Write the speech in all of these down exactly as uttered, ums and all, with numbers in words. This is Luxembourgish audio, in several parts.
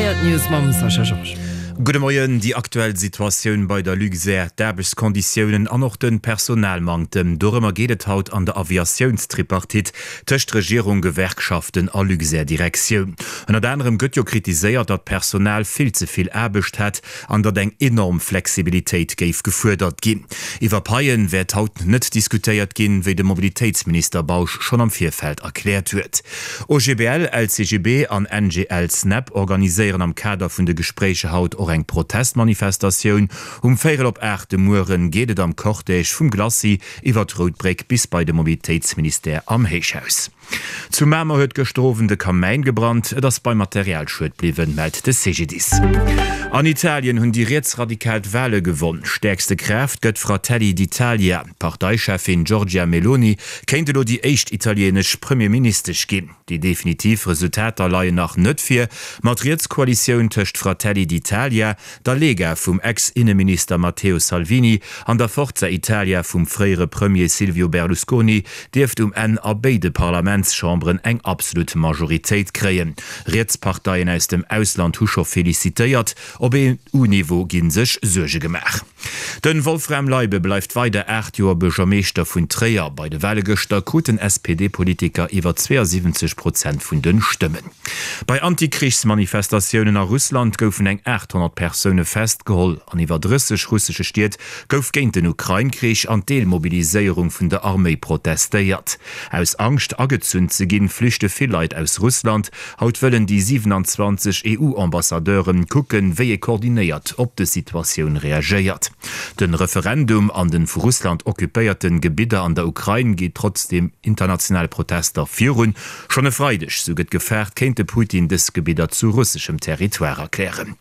Seier d'News mam Sascha Georges. Gudde Moien, Déi aktuell Situatioun bei der Luxair, d'Aarbechtskonditiounen an och de Personalmanktem, dorëmmer geet et haut an der Aviatiounstripartite tëscht Regierung, Gewerkschaften a Luxair-Direktioun. Ënnert anerem gëtt jo kritiséiert, datt d'Personal vill ze vill Aarbecht hätt an datt eng enorm Flexibilitéit géif gefuerdert ginn. Iwwer Paien wäert haut net diskutéiert ginn, wéi de Mobilitéitsminister Bausch schonn am Virfeld erkläert huet. OGBL, LCGB an NGL-Snap organiséieren am Kader vun de Gespréicher haut och eng Protestmanifestatioun. Um véierel op aacht de Mueren geet et am Cortège vum Glacis iwwer d'Rout Bréck bis bei de Mobilitéitsministère am Héichhaus. Zu Mamer huet gëschter Owend e Kamäin gebrannt. Et ass beim Materialschued bliwwen, mellt de C G D I S. An Italien hunn déi Rietsradikal d'Wale gewonn. Stäerkste Kraaft gëtt Fratelli d'Italia. D'Parteicheffin Giorgia Meloni kéint elo déi éischt italienesch Premierministesch ginn. Déi definitiv Resultater leien nach net vir, ma d'Rietskoalitioun tëscht Fratelli d'Italia, der Lega vum Ex-Inneminister Matteo Salvini an der Forza Italia vum fréiere Premier Silvio Berlusconi dierft um Enn a béide Parlamentschamberen eng absolut Majoritéit kréien. Rietsparteien aus dem Ausland hu scho felicitéiert, op E U-Niveau gi sech Suerge gemaach. De Wolfram Leibe bleift weider aacht Joer Buergermeeschter vun Tréier. Bei de Wale gëschter krut den S P D-Politiker iwwer zweeasiwwenzeg Prozent vun de Stëmmen. Bei Antikrichsmanifestatiounen a Russland goufen eng aathonnert Persoune festgeholl. An iwwer drësseg russesche Stied gouf géint den Ukrain-Krich an d'Deelmobiliséierung vun der Arméi protestéiert. Aus Angscht agezunn ze ginn, flüchte vill Leit aus Russland. Haut wëllen déi siwenanzwanzeg E U-Ambassadeuren kucken, wéi ee koordinéiert op des Situatioun reagéiert. De Referendum an de vu Russland occupéierte Gebidder an der Ukrain geet trotz den internationale Protester virun. Schonn e Freideg, sou gëtt gefaart, kéint de Putin dës Gebidder zu russeschem Territoire erklären.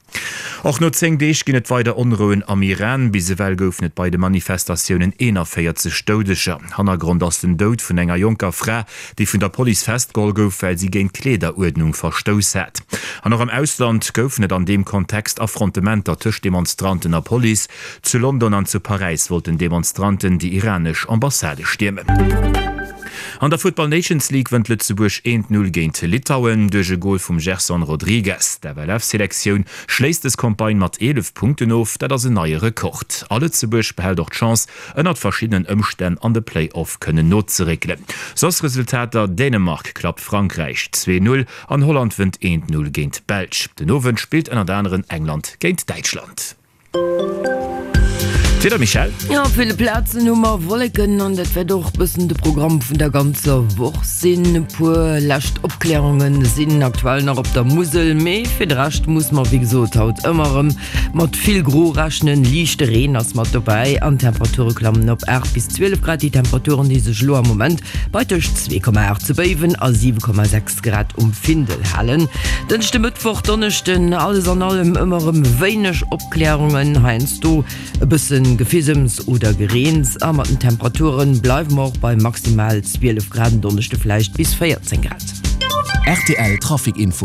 Och no zéng Deeg ginn et weider Onrouen am Iran. Bis ewell goufen et bei de Manifestatiounen eenanvéierzeg Doudeger. Hannergrond ass den Doud vun enger jonker Fra, déi vun der Police festgeholl gouf, well si géint d'Kleederuerdnung verstouss hat. An och am Ausland goufen et an deem Kontext Affrontementer tëscht Demonstranten a Police. Zu London an zu Paräis wollten Demonstranten déi iranesch Ambassade stiermen. An der Futtball Nations League wënnt Lëtzebuerg eent Null géint Litauen duerch e Gol vum Gerson Rodrigues. D'F L F-Selektioun schléisst des Campagne mat eelef Punkten of, dat ass en neie Rekord. A Lëtzebuerg behält och d'Chance, ënnert verschiddenen Ëmstänn an de Play-off kënnen nozeréckelen. Soss Resultater, Dänemark klappt Frankräich zwee Null an Holland wënnt eent Null géint d'Belsch. Den Owend spillt ënnert aneren England géint Däitschland. D'Wieder, Michèle? Jo, op ville Plazen hu mer Wolleken an dat wäert och bëssen de Programm vun der ganzer Woch sinn. E puer lescht Opklärunge sinn aktuell nach op der Musel, mee fir de Rescht muss mer wéi gesot haut ëmmer erëm mat vill Gro rechnen. Liichte Reen ass mat dobäi an d'Temperature klammen op aacht bis zwielef Grad. Déi Temperaturen, déi sech elo am Moment bei tëscht zwee Komma aacht zu Béiwen a siwe Komma sechs Grad um Findel halen. Dënschde, Mëttwoch, Donneschden, alles an allem ëmmer erëm wéineg Opklärungen, heiansdo e bëssen Gefisems oder Gereens a mat den Temperaturen bleiwe mer och bei maximal zwielef Grad, en Donneschde vläicht bis véierzéng Grad. R T L Trafic Info.